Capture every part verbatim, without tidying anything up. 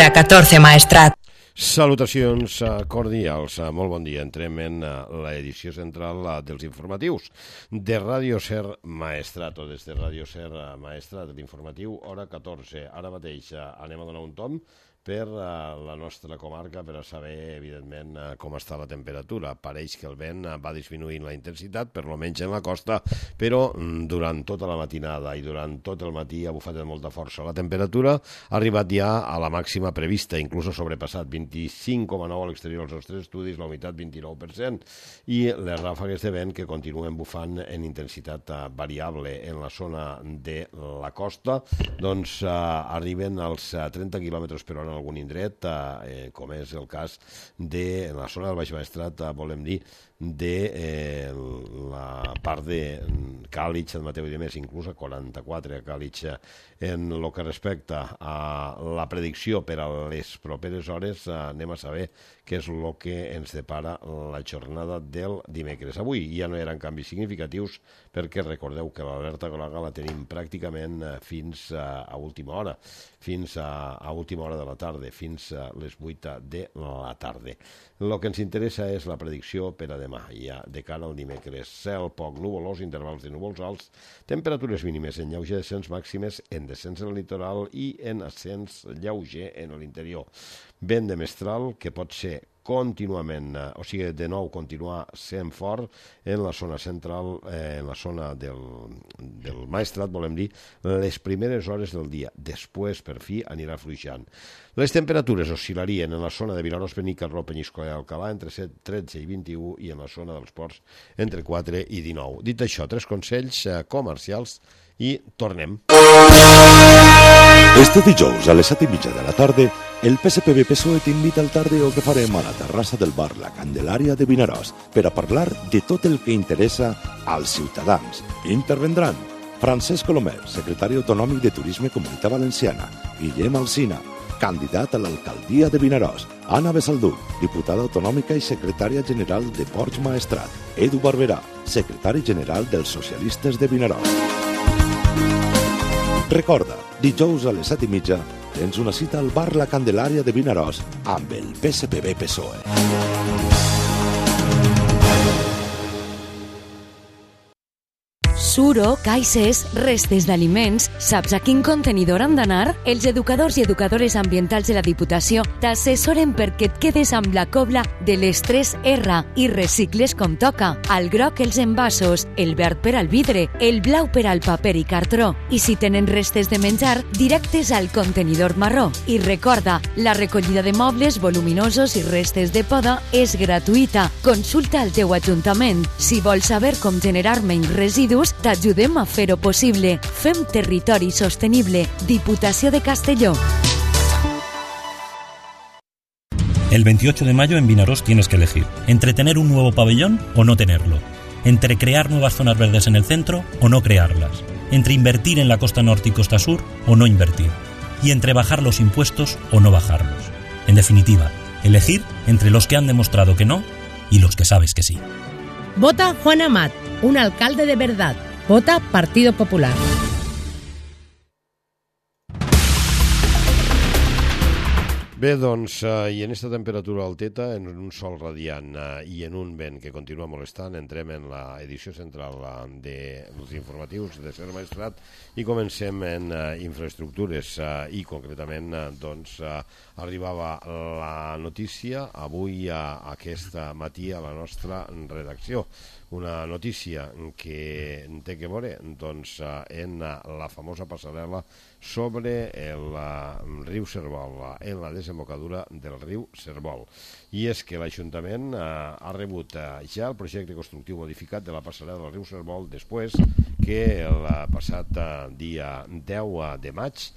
Hora catorze, Maestrat. Salutacions cordials, molt bon dia. Entrem en l'edició central dels informatius de Ràdio Ser Maestrat, o des de Ràdio Ser Maestrat, l'informatiu hora catorze. Ara mateix anem a donar un tom per la nostra comarca per a saber, evidentment, com està la temperatura. Pareix que el vent va disminuint la intensitat, per lo menys en la costa, però durant tota la matinada i durant tot el matí ha bufat amb molta força. La temperatura ha arribat ja a la màxima prevista, inclús ha sobrepassat vint-i-cinc coma nou a l'exterior dels nostres estudis, la humitat vint-i-nou per cent, i les ràfegues de vent que continuen bufant en intensitat variable en la zona de la costa, doncs eh, arriben als trenta quilòmetres per hora en algun indret, eh, com és el cas de la zona del Baix Maestrat, eh, volem dir, de eh, la part de Càlig, Sant Mateu i de més, inclús a quaranta-quatre a Càlig. En el que respecta a la predicció per a les properes hores, eh, anem a saber què és el que ens depara la jornada del dimecres. Avui ja no eren canvis significatius, perquè recordeu que l'alerta groga la tenim pràcticament fins a, a última hora, fins a, a última hora de la tarda, fins a les vuit de la tarda. El que ens interessa és la predicció per a demà, ja de cara al dimecres. Cel poc nuvolós, intervals de núvols alts, temperatures mínimes en lleuger descens, màximes en descens en el litoral i en ascens lleuger en l'interior. Vent de mestral, que pot ser contínuament, o sigui, de nou continuar sent fort en la zona central, eh, en la zona del, del Maestrat, volem dir, les primeres hores del dia. Després, per fi, anirà fluixant. Les temperatures oscil·larien en la zona de Vinaròs, Benicarló, Penyíscola i Alcalà entre set, tretze i vint-i-u, i en la zona dels ports entre quatre i dinou. Dit això, tres consells eh, comercials i tornem. Este dijous a les set i mitja de la tarda, el P S P B P S O E t'invita al tardeo que farem a la terrassa del bar La Candelària de Vinaròs per a parlar de tot el que interessa als ciutadans. Intervendran Francesc Colomer, secretari autonòmic de Turisme Comunitat Valenciana, Guillem Alsina, candidat a l'alcaldia de Vinaròs, Anna Besaldú, diputada autonòmica i secretària general de Ports Maestrat, Edu Barberà, secretari general dels Socialistes de Vinaròs. Recorda, dijous a les set i mitja tens una cita al bar La Candelària de Vinaròs amb el P S P B P S O E. Suro, caixes, restes d'aliments, saps a quin contenidor han d'anar? Els educadors i educadores ambientals de la Diputació t'assessoren perquè et quedes amb la cobla de les tres R i recicles com toca. Al groc els envasos, el verd per al vidre, el blau per al paper i cartró. I si tenen restes de menjar, directes al contenidor marró. I recorda, la recollida de mobles voluminosos i restes de poda és gratuïta. Consulta al teu ajuntament. Si vols saber com generar menys residus, t'ajudem a fer-ho possible. Fem territori sostenible. Diputació de Castelló. El veintiocho de mayo en Vinaròs tienes que elegir entre tener un nuevo pabellón o no tenerlo, entre crear nuevas zonas verdes en el centro o no crearlas, entre invertir en la costa norte y costa sur o no invertir, y entre bajar los impuestos o no bajarlos. En definitiva, elegir entre los que han demostrado que no y los que sabes que sí. Vota Juan Amat, un alcalde de verdad. Vota Partido Popular. Bé, doncs, eh, i en aquesta temperatura alteta, en un sol radiant eh, i en un vent que continua molestant, entrem en la edició central eh, dels informatius de Ser Maestrat i comencem en eh, infraestructures eh, i concretament eh, doncs, eh, arribava la notícia avui eh, aquest matí a la nostra redacció. Una notícia que té que veure doncs, en la famosa passarel·la sobre el riu Servol, en la desembocadura del riu Servol. I és que l'Ajuntament ha rebut ja el projecte constructiu modificat de la passarel·la del riu Servol després que el passat dia deu de maig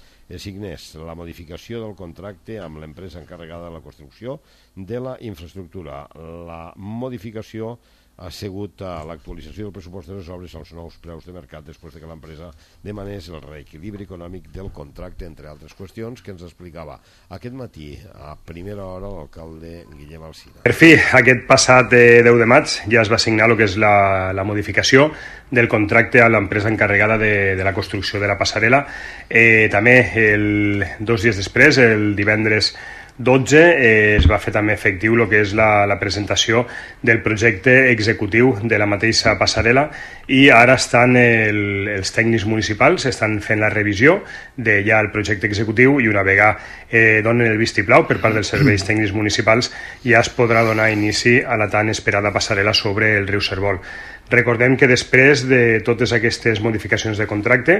signés la modificació del contracte amb l'empresa encarregada de la construcció de la infraestructura. La modificació ha sigut l'actualització del pressupost de les obres als nous preus de mercat després de que l'empresa demanés el reequilibri econòmic del contracte, entre altres qüestions, que ens explicava aquest matí a primera hora l'alcalde Guillem Alsina. Per fi, aquest passat deu de maig ja es va signar el que és la, la modificació del contracte a l'empresa encarregada de, de la construcció de la passarel·la. Eh, també, el, dos dies després, el divendres dotze, eh, es va fer també efectiu el que és la, la presentació del projecte executiu de la mateixa passarel·la i ara estan el, els tècnics municipals estan fent la revisió de ja el projecte executiu i una vegada eh, donen el vistiplau per part dels serveis tècnics municipals ja es podrà donar inici a la tan esperada passarel·la sobre el riu Cérvol. Recordem que després de totes aquestes modificacions de contracte,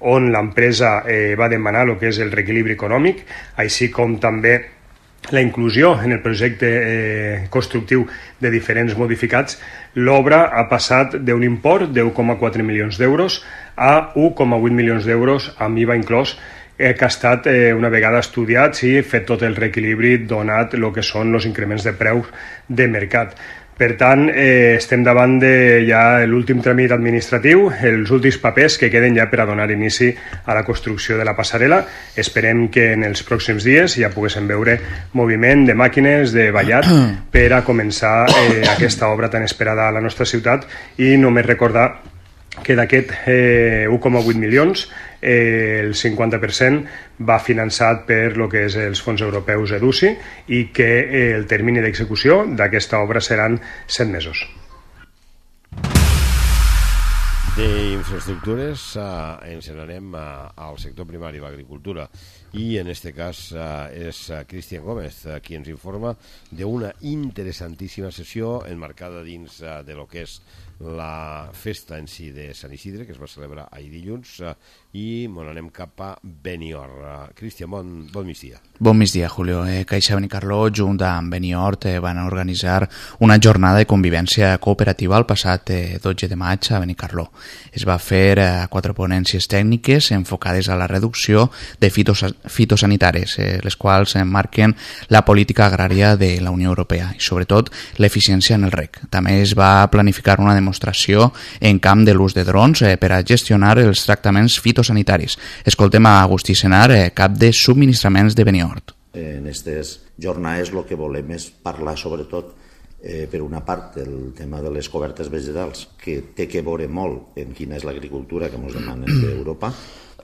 on l'empresa eh, va demanar el que és el reequilibri econòmic, així com també la inclusió en el projecte eh, constructiu de diferents modificats, l'obra ha passat d'un import de u coma quatre milions d'euros a u coma vuit milions d'euros amb I V A inclòs, eh, que ha estat eh, una vegada estudiat i fet tot el reequilibri donat el que són els increments de preus de mercat. Per tant, eh, estem davant de ja l'últim tràmit administratiu, els últims papers que queden ja per a donar inici a la construcció de la passarel·la. Esperem que en els pròxims dies ja poguéssim veure moviment de màquines, de ballat, per a començar eh, aquesta obra tan esperada a la nostra ciutat i només recordar que d'aquest eh, u coma vuit milions eh, el cinquanta per cent va finançat per lo que és els fons europeus EDUSI i que eh, el termini d'execució d'aquesta obra seran set mesos. D'infraestructures eh, ens n'anem eh, al sector primari, l'agricultura, i en aquest cas eh, és Cristian Gómez eh, qui ens informa d'una interessantíssima sessió enmarcada dins eh, de lo que és la festa en si de Sant Isidre, que es va celebrar ahir dilluns, eh, i mon anem cap a Benior. Eh, Cristian, bon, bon migdia. Bon migdia, Julio. Eh, Caixa Benicarló, junt amb Beniort, eh, van organitzar una jornada de convivència cooperativa el passat eh, dotze de maig a Benicarló. Es va fer eh, quatre ponències tècniques enfocades a la reducció de fitos, fitosanitaris, eh, les quals marquen la política agrària de la Unió Europea i, sobretot, l'eficiència en el reg. També es va planificar una demostració en camp de l'ús de drons eh, per a gestionar els tractaments fitosanitaris. Escoltem a Agustí Senar, eh, cap de subministraments de Beniort. En aquestes jornades el que volem és parlar sobretot eh, per una part del tema de les cobertes vegetals, que té que veure molt en quina és l'agricultura que ens demanen d'Europa,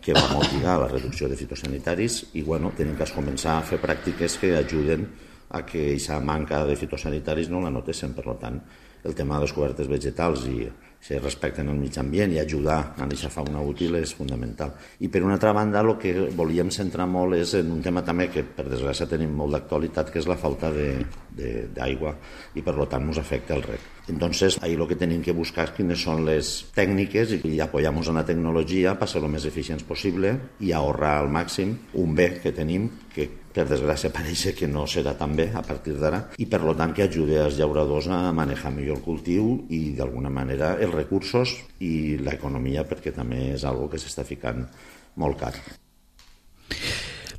que va motivar la reducció de fitosanitaris i bueno, tenim que començar a fer pràctiques que ajuden a que aquesta manca de fitosanitaris no la notéssim. Per tant, el tema de les cobertes vegetals i si respecten el mig ambient i ajudar a aquesta fauna útil és fundamental. I per una altra banda, el que volíem centrar molt és en un tema també que per desgràcia tenim molt d'actualitat, que és la falta d'aigua i per tant ens afecta el reg. Entonces, ahí lo que tenim que buscar quines són les tècniques i apoyamos en la tecnologia per ser lo més eficients possible i ahorrar al màxim un bé que tenim que per desgràcia pareix que no serà tan bé a partir d'ara i per tant que ajude als llauradors a manejar millor el cultiu i d'alguna manera els recursos i l'economia, perquè també és algo que s'està ficant molt car.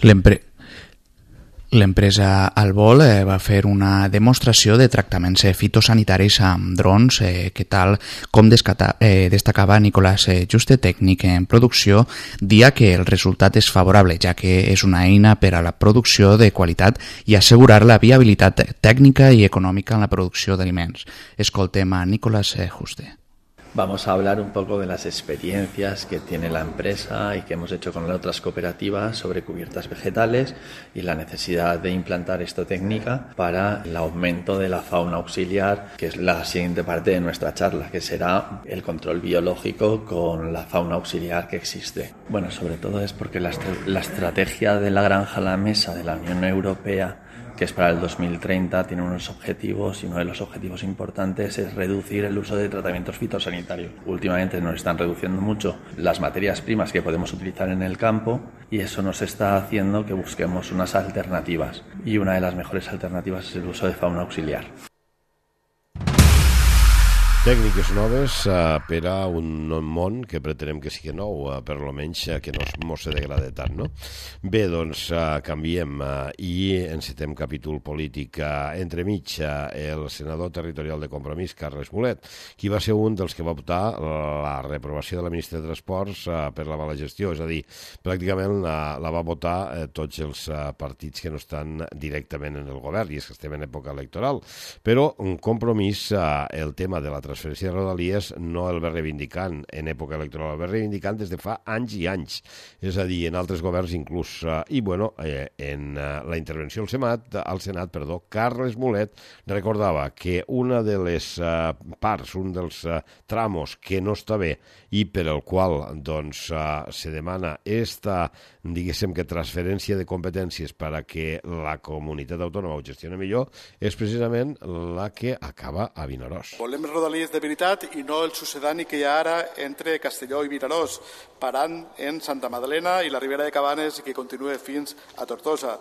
L'empre... L'empresa Albol eh, va fer una demostració de tractaments eh, fitosanitaris amb drons, eh, que tal com descata, eh, destacava Nicolás eh, Juste, tècnic en producció, dia que el resultat és favorable, ja que és una eina per a la producció de qualitat i assegurar la viabilitat tècnica i econòmica en la producció d'aliments. Escoltem a Nicolás eh, Juste. Vamos a hablar un poco de las experiencias que tiene la empresa y que hemos hecho con otras cooperativas sobre cubiertas vegetales y la necesidad de implantar esta técnica para el aumento de la fauna auxiliar, que es la siguiente parte de nuestra charla, que será el control biológico con la fauna auxiliar que existe. Bueno, sobre todo es porque la, est- la estrategia de la granja a la mesa de la Unión Europea, que es para el dos mil treinta, tiene unos objetivos y uno de los objetivos importantes es reducir el uso de tratamientos fitosanitarios. Últimamente nos están reduciendo mucho las materias primas que podemos utilizar en el campo y eso nos está haciendo que busquemos unas alternativas y una de las mejores alternativas es el uso de fauna auxiliar. Tècniques noves uh, per a un món que pretenem que sigui nou, uh, per almenys uh, que no mos se degrade tant, no? Bé, doncs uh, canviem uh, i encetem capítol polític. Uh, entremig, uh, el senador territorial de Compromís, Carles Mulet, qui va ser un dels que va optar la reprovació de la ministra de Transports uh, per la mala gestió, és a dir, pràcticament la, la va votar uh, tots els uh, partits que no estan directament en el govern, i és que estem en època electoral. Però un Compromís, uh, el tema de la transferència de Rodalies no el va reivindicant en època electoral, el va reivindicant des de fa anys i anys, és a dir, en altres governs inclús. I, bueno, eh, en eh, la intervenció al Senat, al Senat, perdó, Carles Mulet recordava que una de les eh, parts, un dels eh, tramos que no està bé i per el qual, doncs, eh, se demana esta, diguéssim que transferència de competències per a que la comunitat autònoma ho gestioni millor, és precisament la que acaba a Vinaròs. Volem Rodalies de veritat i no el sucedani que hi ha ara entre Castelló i Vinaròs, parant en Santa Madalena i la Ribera de Cabanes i que continua fins a Tortosa.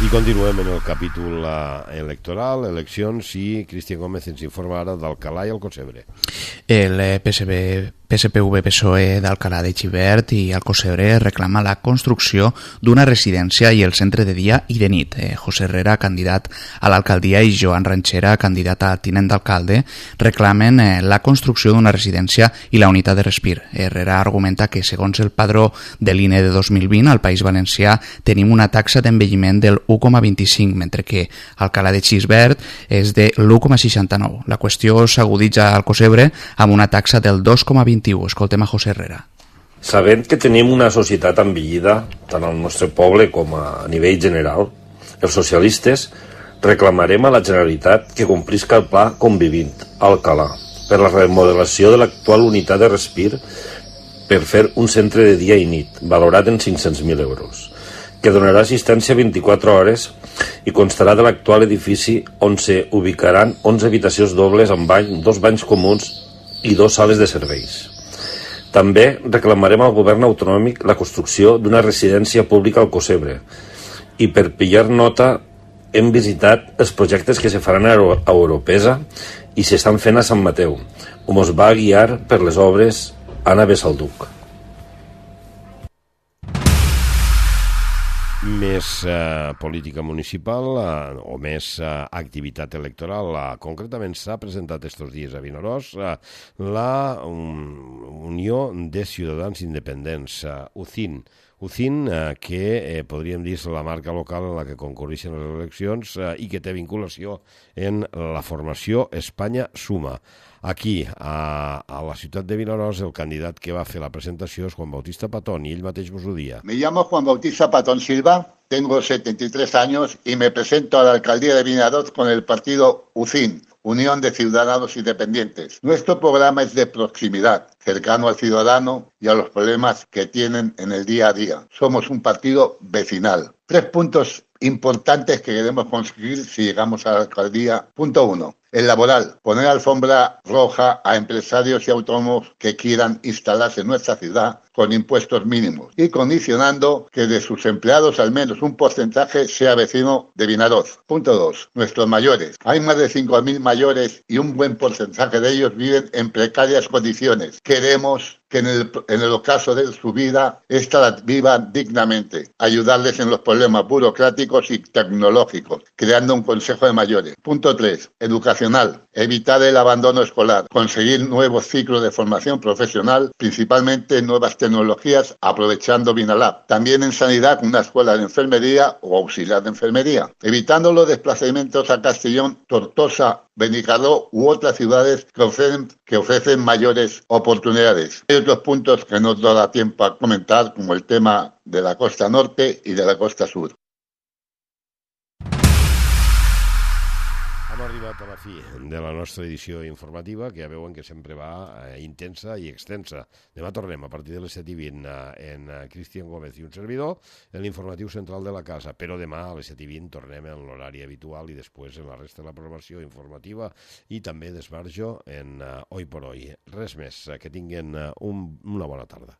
I continuem en el capítol uh, electoral, eleccions, i Cristian Gómez ens informa ara d'Alcalà i Alcossebre. El P S B, P S P V P S O E d'Alcalà de Xivert i Alcossebre reclama la construcció d'una residència i el centre de dia i de nit. Eh, José Herrera, candidat a l'alcaldia, i Joan Ranchera, candidat a tinent d'alcalde, reclamen eh, la construcció d'una residència i la unitat de respir. Herrera argumenta que, segons el padró de l'I N E de dos mil vint, al País Valencià tenim una taxa d'envelliment del u coma vint-i-cinc, mentre que Alcalà de Xivert és de l'u coma seixanta-nou. La qüestió s'aguditza a Alcossebre amb una taxa del dos coma vint-i-u. Escoltem a José Herrera. Sabent que tenim una societat envellida, tant al nostre poble com a nivell general, els socialistes reclamarem a la Generalitat que complisca el pla Convivint Alcalà per la remodelació de l'actual unitat de respir per fer un centre de dia i nit, valorat en cinc-cents mil euros, que donarà assistència vint-i-quatre hores i constarà de l'actual edifici on se ubicaran onze habitacions dobles amb bany, dos banys comuns i dos sales de serveis. També reclamarem al govern autonòmic la construcció d'una residència pública al Alcossebre i, per pillar nota, hem visitat els projectes que se faran a Europesa i s'estan fent a Sant Mateu, on es va guiar per les obres Anna Besalduc. Més eh, política municipal eh, o més eh, activitat electoral. Eh, concretament s'ha presentat estos dies a Vinaròs eh, la um, Unió de Ciutadans Independents, eh, U C I N. U C I N, eh, que eh, podríem dir és la marca local en la que concurreixen les eleccions eh, i que té vinculació en la formació Espanya Suma. Aquí, a, a la ciutat de Vinaròs, el candidat que va fer la presentació és Juan Bautista Patón, i ell mateix vos ho dia. Me llamo Juan Bautista Patón Silva, tengo setenta y tres años y me presento a la alcaldía de Vinaròs con el partido U C I N, Unión de Ciudadanos Independientes. Nuestro programa es de proximidad, cercano al ciudadano y a los problemas que tienen en el día a día. Somos un partido vecinal. Tres puntos importantes que queremos conseguir si llegamos a la alcaldía. Punto uno. El laboral, poner alfombra roja a empresarios y autónomos que quieran instalarse en nuestra ciudad con impuestos mínimos y condicionando que de sus empleados al menos un porcentaje sea vecino de Vinaròs. Punto dos. Nuestros mayores. Hay más de cinco mil mayores y un buen porcentaje de ellos viven en precarias condiciones. Queremos que en el, en el ocaso de su vida, esta la vivan dignamente, ayudarles en los problemas burocráticos y tecnológicos, creando un consejo de mayores. Punto tres. Educacional. Evitar el abandono escolar, conseguir nuevos ciclos de formación profesional, principalmente nuevas tecnologías, aprovechando Vinalab. También en sanidad, una escuela de enfermería o auxiliar de enfermería. Evitando los desplazamientos a Castellón, Tortosa, Benicarló u otras ciudades que ofrecen, que ofrecen mayores oportunidades. Hay otros puntos que no nos da tiempo a comentar, como el tema de la costa norte y de la costa sur. Hem arribat a la fi de la nostra edició informativa, que ja veuen que sempre va eh, intensa i extensa. Demà tornem a partir de les set i vint eh, en eh, Cristian Gómez i un servidor en l'informatiu central de la casa, però demà a les set i vint tornem en l'horari habitual i després en la resta de la programació informativa i també d'Esbarjo en eh, Hoy por Hoy. Res més, eh, que tinguen eh, un, una bona tarda.